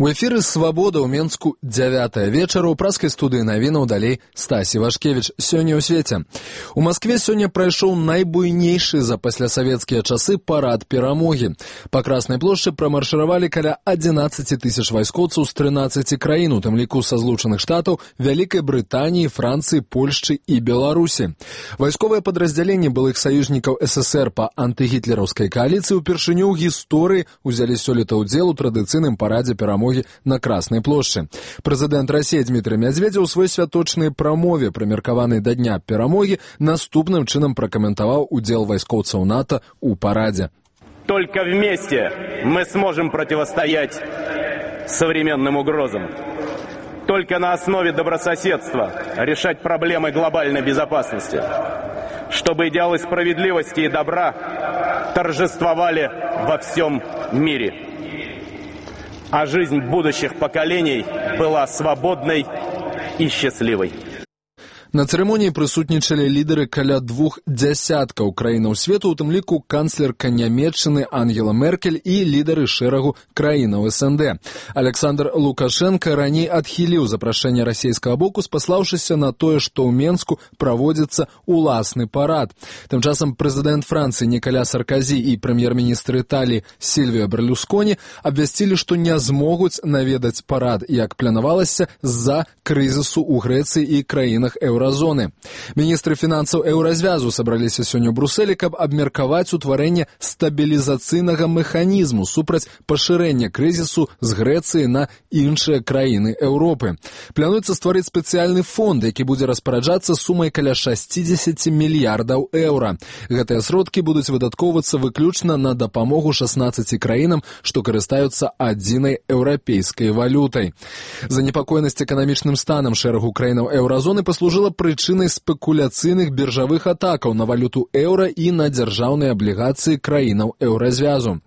У эфіры «Свабода» ў Менску 9 вечара. У праскай студыі навінаў далей Стасі Вашкевіч. Сёння ў свеце. У Маскве сёння прайшоў найбуйнейшы за паслясавецкія часы парад перамогі. Па Краснай плошчы прамаршыравалі каля 11 тысяч вайскоўцаў з 13 краін, у тым ліку са Злучаных Штатаў, Вялікай Брытаніі, Францыі, Польшчы і Беларусі. Вайсковыя падраздзяленні былых саюзнікаў СССР па антыгітлераўскай кааліцыі ўпершыню ў гісторыі узялі сёлета ўдзел у традыцыйным парадзе перамогі на Краснай плошчы. Прэзідэнт Расіі Дмітрый Мядзведзеў у свой святочнай прамове, прымеркаванай да дня перамогі, наступным чынам пракаментаваў удзел вайскоўцаў НАТО ў парадзе. Только вместе мы сможем противостоять современным угрозам. Только на основе добрососедства решать проблемы глобальной безопасности, чтобы идеалы справедливости и добра торжествовали во всем мире, а жизнь будущих поколений была свободной и счастливой. На цырымоніі прысутнічалі лідары каля 20 краінаў свету, у тым ліку канцлерка Нямецчыны Ангела Меркель і лідары шэрагу краінаў СНД. Александр Лукашенко раней адхіліў запрашэнне расійскага боку, спаслаўшыся на тое, што ў Менску праводзіцца уласны парад. Тым часам прэзідэнт Францыі Нікаля Сарказі і прэм'ер-міністр Італіі Сільвіа Берлусконі абвясцілі, што не змогуць наведаць парад, як планавалася, з-за крызісу ў Грэцыі і краінах еўразоны. Міністры фінансаў еўразвязу сабраліся сёння ў Брусэлі, каб абмеркаваць утварэнне стабілізацыйнага механізму супраць пашырэння крызісу з Грэцыі на іншыя краіны Еўропы. Плануецца стварыць спецыяльны фонд, які будзе распараджацца сумай каля 60 мільярдаў еўра. Гэтыя сродкі будуць выдаткоўвацца выключна на дапамогу 16 краінам, што карыстаюцца адзінай еўрапейскай валютай. Занепакоенасць эканамічным станам шэрагу краінаў еўразоны паслужыла прычынай спекуляцыйных біржавых атакаў на валюту еўра і на дзяржаўныя аблігацыі краінаў еўразвязу.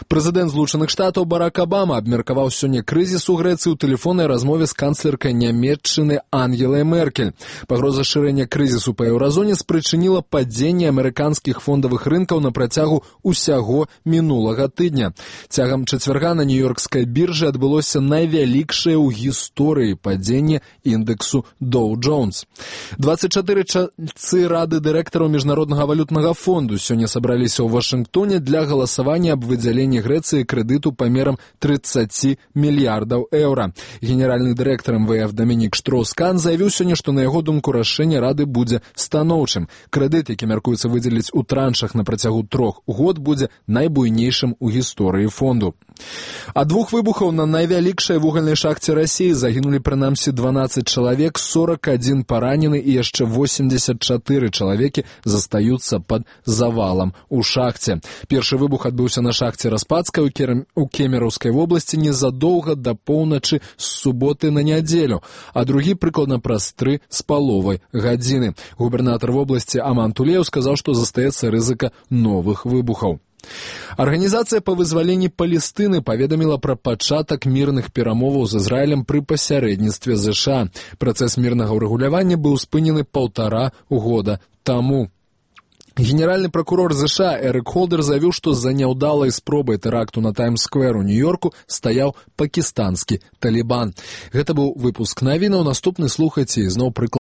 Прэзідэнт Злучаных Штатаў Барак Абама абмеркаваў сёння крызіс у Грэцыі ў тэлефоннай размове з канцлеркай Нямецчыны Ангелай Меркель. Пагроза шырэння крызісу па еўразоне спрычыніла падзенне амерыканскіх фондавых рынкаў на працягу ўсяго мінулага тыдня. Цягам чацвярга на нью-ёркскай біржы адбылося найвялікшае ў гісторыі падзенне індексу Dow Jones. 24 чальцы рады дырэктараў Міжнароднага валютнага фонду сёння сабраліся ў Вашынгтоне для галасавання аб выдзяленні Грэцыі крэдыту памерам 30 мільярдаў еўра. Генеральны дырэктар МВФ Дамінік Штроус-Кан заявіў сёння, што на яго думку рашэнне рады будзе станоўчым. Крэдыт, які мяркуецца выдзеліць у траншах на працягу 3 год, будзе найбуйнейшым у гісторыі фонду. Ад 2 выбухаў на найвялікшай вугальнай шахце Расіі загінулі прынамсі 12 чалавек, 41 паранены і яшчэ 84 чалавекі застаюцца пад завалам у шахце. Першы выбух адбыўся на шахце Распадскай у Кемераўскай вобласці незадоўга да поўначы з суботы на нядзелю, а другі прыкладна праз 3,5 гадзіны. Губернатар вобласці Аман Тулеў сказаў, што застаецца рызыка новых выбухаў. Арганізацыя па вызваленні Палестыны паведаміла пра пачатак мірных перамоваў з Ізраілем пры пасярэдніцтве ЗША. Працэс мірнага ўрэгулявання быў спынены 1,5 года таму. Генеральны пракурор ЗША Эрик Холдер заявіў, што за няўдалай спробай тэракту на Таймс-сквер у Нью-Йорку стаяў пакістанскі Талібан. Гэта быў выпуск навінаў. Наступны слухайце і зноў прыклад.